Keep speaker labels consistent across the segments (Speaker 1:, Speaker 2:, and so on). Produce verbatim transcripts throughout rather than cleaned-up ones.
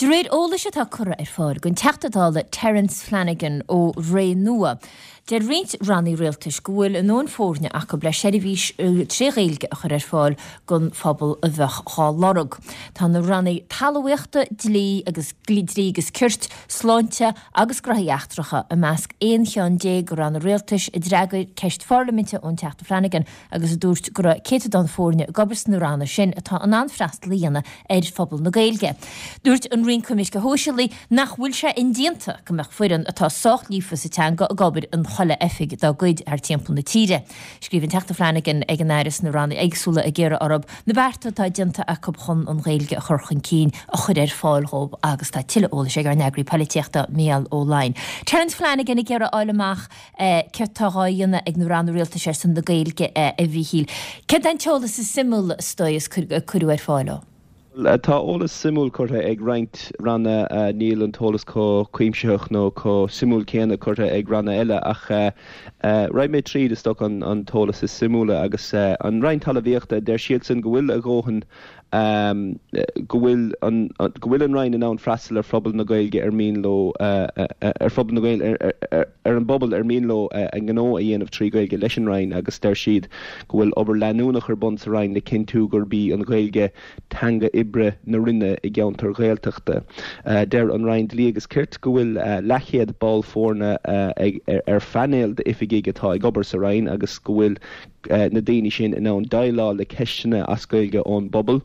Speaker 1: De réir eolais atá curtha ar fáil don Teachta Dála Terence Flanagan ó Ré Nua. Deir roinnt ranna rialtais go bhfuil a ndóthain foirne acu le seirbhís trí Ghaeilge a chur ar fáil don phobal a bheadh á lorg. Tá na ranna talmhaíochta, dlí agus dlí agus cirt, sláinte agus gnóthaí eachtracha i measc aon cheann déag de ranna rialtais a d'fhreagair ceist pharlaiminte ón Teachta Flanagan agus a dúirt go raibh céatadán foirne ag obair sna ranna sin atá in ann freastal a dhéanamh ar phobal na Gaeilge. Dúirt an Roinn Coimirce Sóisialaí nach bhfuil sé indéanta go mbeadh foireann atá sách líofa sa teanga ag obair in chuile oifig dá gcuid thar timpeall na tíre. Scríobh an Teachta Flanagan ag an Aire sna ranna éagsúla ag iarraidh orthu na bearta atá déanta acu chun an Ghaeilge a chur chun cinn a chur ar fáil dóibh agus tá tuilleadh eolais ag ár n-eagraí polaitíochta Mícheál Ó Laighin. Terence Flanagan ag iarraidh fháil amach eh, céard atá á dhéanamh ag na ranna rialtais ar son na Gaeilge eh, a Mhíchíl. Céard an t-eolas is suimiúla is dóigh is cuireadh ar fáil ó.
Speaker 2: Tá eolas suimiúil curtha ag roinnt ranna uh, níl an t-eolas chomh cuimsitheach nó chomh suimiúil céanna curtha ag ranna eile ach uh, uh, rachaidh mé tríd is dócha an, an t-eolas is suimiúla agus uh, an Roinn Talmhaíochta deir siadsan go bhfuil a ndóthain um, go bhfuil an, go bhfuil an Roinn in ann freastal ar phobal na Gaeilge ar mian leo uh, uh, ar phobal na Gaeilge ar, ar, ar an bpobal ar mian leo uh, an gnó a dhéanamh trí Ghaeilge leis an Roinn agus deir siad go bhfuil obair leanúnach ar bun sa Roinn le cinntiú gurb í an Ghaeilge teanga oibre na Roinne i gceantar Ghaeltachta. Uh, deir an Roinn Dlí agus Cirt go bhfuil uh, leathchéad ball foirne uh, ag, ar, ar phainéal d'oifigigh atá ag obair sa Roinn agus go bhfuil uh, na daoine sin in ann déileáil le ceisteanna as Gaeilge ón bpobal.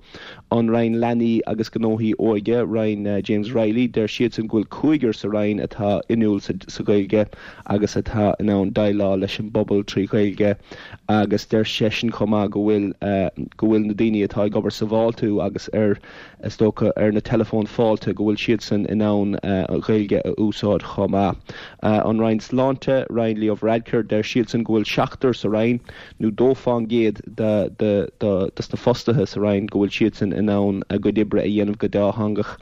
Speaker 2: An Roinn Leanaí agus Gnóthaí Óige Roinn uh, James Reilly deir siadsan go bhfuil cúigear sa Roinn atá inniúil sa, sa Ghaeilge agus atá in ann déileáil leis an bpobal trí Ghaeilge agus deir seisean chomh maith go bhfuil uh, go bhfuil na daoine atá ag obair sa bhfáiltiú agus ar is dócha ar na teileafóin fáilte go bhfuil siadsan in ann uh, an Ghaeilge a úsáid chomh maith. Uh, an Roinn Sláinte Roinn Leo Varadkar deir siadsan go bhfuil seachtar sa Roinn nó dó faoin gcéad de de de de na fostaithe sa Roinn go bhfuil siadsan in ann a gcuid oibre a dhéanamh go dátheangach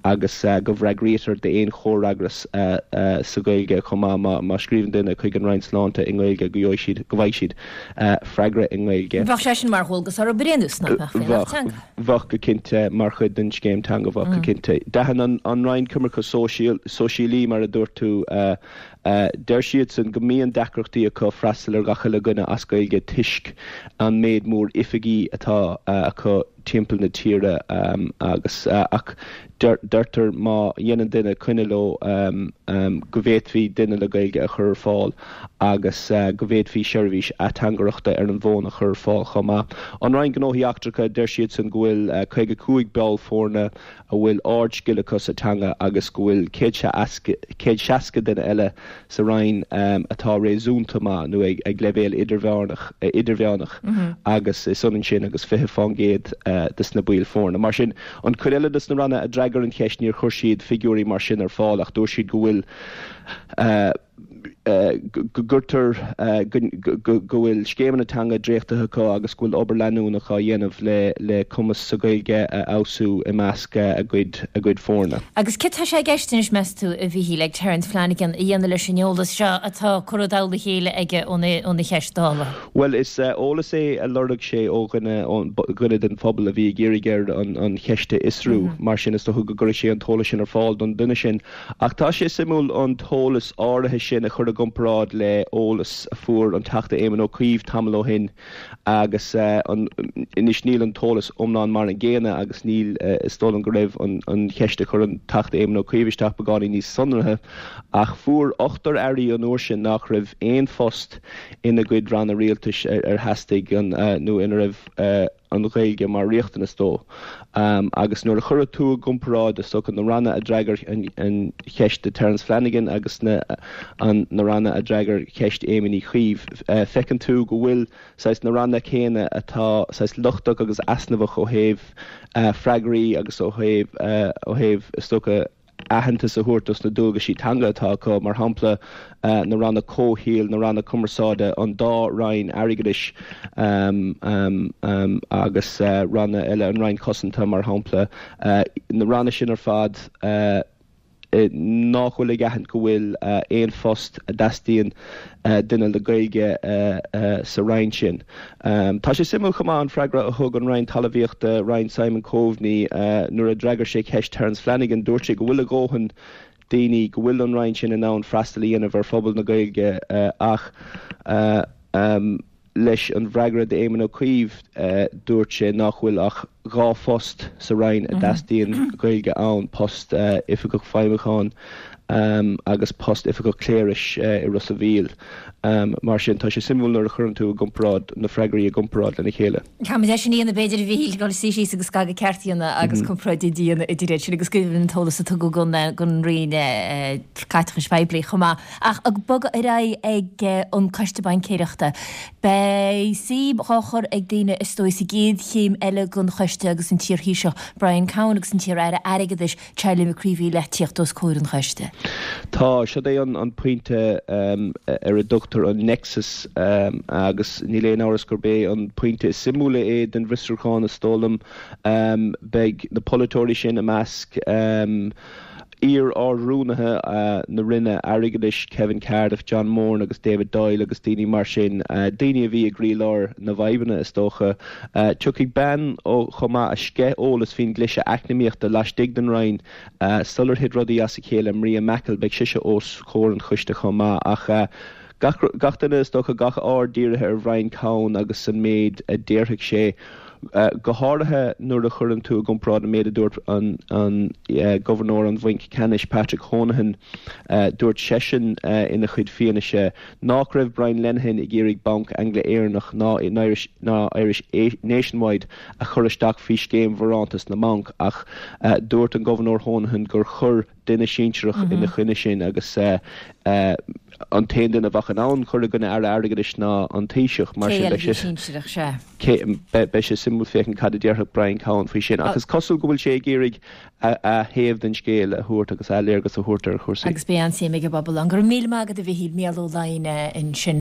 Speaker 2: agus uh, go bhfreagraítear d'aon chomhfhreagras uh, uh, sa Ghaeilge chomh maith má má scríobhann duine chuig an Roinn Sláinte i nGaeilge go gheobhaidh siad go bhfaighidh siad uh, freagra i nGaeilge.
Speaker 1: Bheadh sé sin mar dhualgas ar bréanús
Speaker 2: Bheadh bheadh go cinnte mar chuid den scéim teanga bheadh go mm. cinnte. D'aithin an, an Roinn Coimirce Sóisialaí mar a dúirt tú uh, uh, deir siadsan go mbíonn deacrachtaí acu freastal ar gach uile dhuine as Gaeilge toisc an méid mór oifigí atá uh, acu timpeall na tíre um, agus uh, ach deirtear má dhéanann duine coinne leo um, um, go bhféadfaí duine le Gaeilge a chur ar fáil agus uh, go bhféadfaí seirbhís ateangaireachta ar an bhfón a chur ar fáil chomh maith. An Roinn Gnóthaí Eachtracha deir siadsan go bhfuil uh, caoga cúig ball foirne a bhfuil ardscil acu sa teanga agus go bhfuil céad seasca duine eile sa Roinn um, atá réasúnta maith nó ag, ag leibhéal idirmheánach idirmheánach mm -hmm. agus is ionann sin agus fiche faoin gcéad uh, des na baill foirne. Mar sin an chuid eile des na ranna a d'fhreagair an cheist níor chuir siad figiúirí mar sin ar fáil ach dúirt siad go bhfuil uh, uh, go gcuirtear uh, go bhfuil scéimeanna teanga dréachtaithe acu agus go bhfuil obair leanúnach á dhéanamh le le cumas sa Ghaeilge a fheabhsú i measc a gcuid a gcuid foirne.
Speaker 1: Agus cad tá sé i gceist meas tú a Mhíchíl ag Terence Flanagan a dhéanamh leis an eolas seo atá curtha i dtoll a chéile aige óna cheist Dála.
Speaker 2: Well is uh, eolas é a lorg sé ó dhuine den phobal a bhí ag iarraidh air an, an cheist a fhiosrú mm -hmm. mar sin is dócha go gcuirfidh sé an t-eolas sin ar fáil don duine sin. Ach tá sé suimiúil an t-eolas áirithe sin a chur i gcomparáid le eolas a fuair an Teachta Éamon Ó Cuív tamall ó shin agus uh, anois níl an t-eolas iomlán mar an gcéanna agus níl uh, is dóigh liom go raibh an, an cheist a chuir an Teachta Éamon Ó Cuív isteach beagáinín níos sonraithe ach fuair ochtar airí an uair sin nach raibh aon phost ina gcuid ranna rialtais ar, ar theastaigh an uh, nó ina raibh uh, an Ghaeilge mar riachtanas dó. Um, agus nuair a chuir tú i gcomparáid is dócha na ranna a d'fhreagair an, an cheist de Terence Flanagan agus na, an, na ranna a d'fhreagair ceist Éamon Uí Chuív. Uh, feiceann tú go bhfuil saghas na ranna céanna atá saghas lochtach agus easnamhach ó thaobh uh, freagraí agus ó thaobh uh, ó thaobh is dócha aitheantas a thabhairt dos na dualgaisí teanga atá acu mar shampla uh, na ranna comhshaoil na ranna cumarsáide an dá roinn airgeadais um, um, um, agus uh, ranna eile an Roinn Cosanta mar shampla uh, na ranna sin ar fad uh, nach bhfuil ag aithint go bhfuil aon phost a dteastaíonn duine le Gaeilge sa Roinn sin. Tá sé suimiúil chomh maith an freagra a thug an Roinn Talmhaíochta, Roinn Simon Coveney, nuair a d'fhreagair sé ceist Terence Flanagan, dúirt sé go bhfuil a dhóthain daoine, go bhfuil an Roinn sin in ann freastal a dhéanamh ar phobal na Gaeilge ach leis an bhfreagra d'Éamon Ó Cuív dúirt sé nach bhfuil ach dhá phost sa Roinn a dteastaíonn Gaeilge ann, post Oifigeach Feidhmiúcháin agus post Oifigeach Cléiris i Ros a' Mhíl. Mar sin, tá sé suimiúil nuair a chuireann tú i gcomparáid na freagraí i gcomparáid lena chéile.
Speaker 1: Caithfimid é sin a dhéanamh b'fhéidir a Mhíchíl, dul suí síos agus scagadh ceart a dhéanamh agus comparáid a dhéanamh idir iad sin agus go deimhin an t-eolas a tugadh don Roinn Caiteachais Phoiblí chomh maith. Ach ag bogadh ar aghaidh ag an Coiste Baincéireachta, beidh suim dhá chur ag daoine is dóigh sa gcéad chéim eile den choiste agus an t-iarThaoiseach Brian Cowen agus an t-iar-aire airgeadais Charlie McCreevy le tíocht os comhair an choiste.
Speaker 2: Tá, siod é an pointe ar a dtugtar an nexus agus níl aon amhras gurb é an pointe is suimiúla é den bhfiosrúchán is dóigh liom. Beidh na polaiteoirí sin i measc iar-Ard-Rúnaithe na Roinne Airgeadais, Kevin Cardiff, John Moran agus David Doyle agus daoine mar sin, daoine a bhí i gcroílár na bhfadhbanna is dócha. Tiocfaidh bean chomh maith a sceith eolas faoin gcliseadh eacnamaíochta laistigh den Roinn sular thit rudaí as a chéile, Maria Mackle, beidh sise os comhair an choiste chomh maith. Ach gach duine is dócha, gach aird dírithe ar Bhrian Cowen agus an méid a déarfaidh sé. Go háirithe nuair a chuireann tú i gcomparáid an méid a dúirt an Gobharnóir an Bhainc Ceannais, Patrick Honohan, dúirt seisean ina chuid fianaise nach raibh Brian Lenihan ag iarraidh Banc Angla-Éireannach ná Irish Nationwide a chur isteach faoi scéim bharántas na mbanc ach dúirt an Gobharnóir Honohan gur chuir duine sinsearach ina choinne sin agus an t-aon duine a bheadh in ann cur i gcoinne Aire Airgeadais ná an Taoiseach. Mar sin beidh sé beidh sé suimiúil féachaint cad a déarfadh Brian Cowen faoi sin. Ach is cosúil go bhfuil sé ag iarraidh a thaobh den scéal a thabhairt agus a léargas a thabhairt ar chúrsaí.
Speaker 1: Agus beidh an-suim ag an bpobal ann. Go raibh míle maith agat a Mhichíl, Mícheál Ó Laighin ansin.